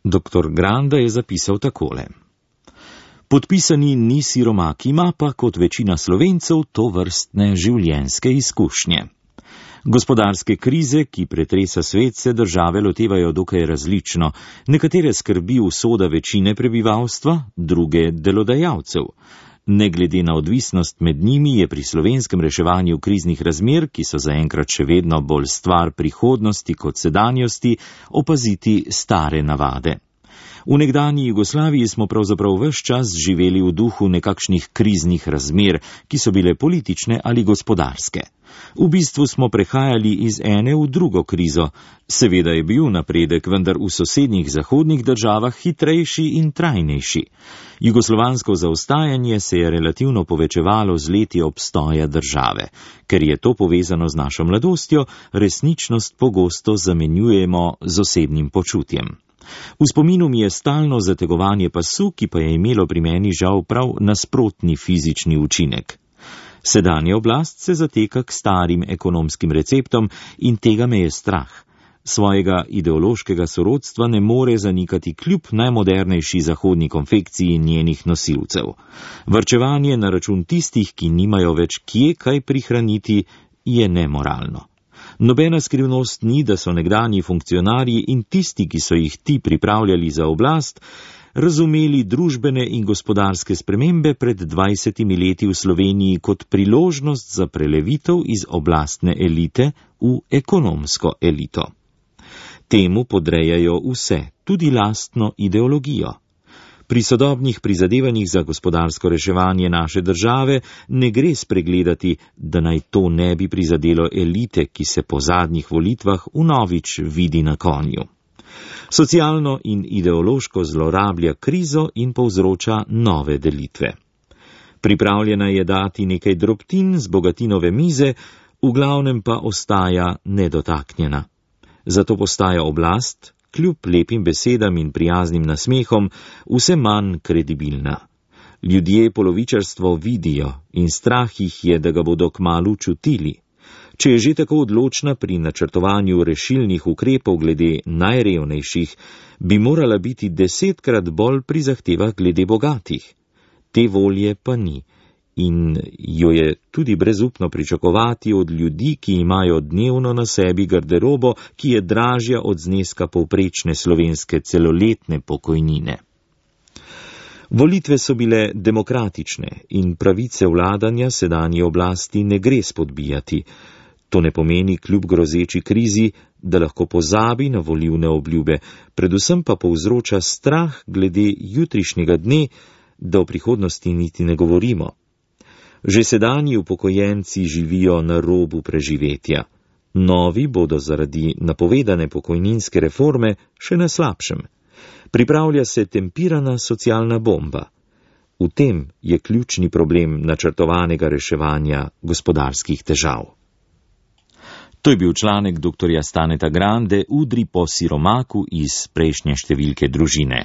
Dr. Granda je zapisal takole. Podpisani ni siromak, ima pa kot večina Slovencev tovrstne življenjske izkušnje. Gospodarske krize, ki pretresa svet, se države lotevajo dokaj različno. Nekatere skrbi usoda večine prebivalstva, druge delodajalcev. Ne glede na odvisnost med njimi je pri slovenskem reševanju kriznih razmer, ki so zaenkrat še vedno bolj stvar prihodnosti kot sedanjosti, opaziti stare navade. V nekdanji Jugoslaviji smo pravzaprav ves čas živeli v duhu nekakšnih kriznih razmer, ki so bile politične ali gospodarske. V bistvu smo prehajali iz ene v drugo krizo. Seveda je bil napredek, vendar v sosednjih zahodnih državah hitrejši in trajnejši. Jugoslovansko zaostajanje se je relativno povečevalo z leti obstoja države. Ker je to povezano z našo mladostjo, resničnost pogosto zamenjujemo z osebnim počutjem. V spominu mi je stalno zategovanje pasu, ki pa je imelo pri meni žal prav nasprotni fizični učinek. Sedanja oblast se zateka k starim ekonomskim receptom in tega me je strah. Svojega ideološkega sorodstva ne more zanikati kljub najmodernejši zahodni konfekciji njenih nosilcev. Varčevanje na račun tistih, ki nimajo več kje kaj prihraniti, je nemoralno. Nobena skrivnost ni, da so nekdanji funkcionarji in tisti, ki so jih ti pripravljali za oblast, razumeli družbene in gospodarske spremembe pred 20 leti v Sloveniji kot priložnost za prelevitev iz oblastne elite v ekonomsko elito. Temu podrejajo vse, tudi lastno ideologijo. Pri sodobnih prizadevanjih za gospodarsko reševanje naše države ne gre spregledati, da naj to ne bi prizadelo elite, ki se po zadnjih volitvah vnovič vidi na konju. Socialno in ideološko zlorablja krizo in povzroča nove delitve. Pripravljena je dati nekaj drobtin z bogatinove mize, v glavnem pa ostaja nedotaknjena. Zato postaja oblast, kljub lepim besedam in prijaznim nasmehom, vse manj kredibilna. Ljudje polovičarstvo vidijo in strah jih je, da ga bodo kmalu čutili. Če je že tako odločna pri načrtovanju rešilnih ukrepov glede najrevnejših, bi morala biti 10-krat bolj pri zahtevah glede bogatih. Te volje pa ni in jo je tudi brezupno pričakovati od ljudi, ki imajo dnevno na sebi garderobo, ki je dražja od zneska povprečne slovenske celoletne pokojnine. Volitve so bile demokratične in pravice vladanja sedanji oblasti ne gre spodbijati. To ne pomeni kljub grozeči krizi, da lahko pozabi na volilne obljube, predvsem pa povzroča strah glede jutrišnjega dne, da o prihodnosti niti ne govorimo. Že sedanji upokojenci živijo na robu preživetja. Novi bodo zaradi napovedane pokojninske reforme še na slabšem. Pripravlja se tempirana socialna bomba. V tem je ključni problem načrtovanega reševanja gospodarskih težav. To je bil članek dr. Staneta Grande, Udri po siromaku iz prejšnje številke Družine.